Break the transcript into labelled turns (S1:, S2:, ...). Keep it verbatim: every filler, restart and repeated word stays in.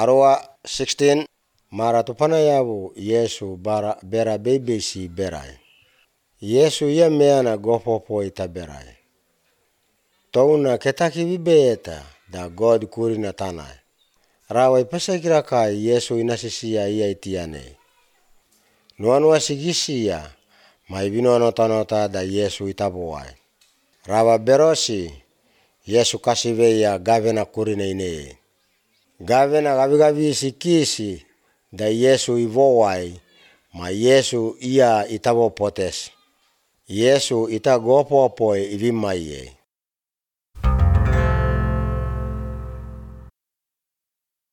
S1: Arua sixteen mara tupana yabu Yesu bara bera bebesi berai. Yesu ia meana gopopo ita berai. Touna ketaki bibeta da God kurina tanai. Rawa ipasakira kai Yesu inasisia ia itiane. Nuanua sigisia mai vinono tanota da Yesu itabuai. Rawa berosi Yesu kasiveia gavena kurina ine. Gavena gavigavi sikisi da Yesu ivowai ma Yesu ia itabo potes. Yesu ita gopopo ivimaiye.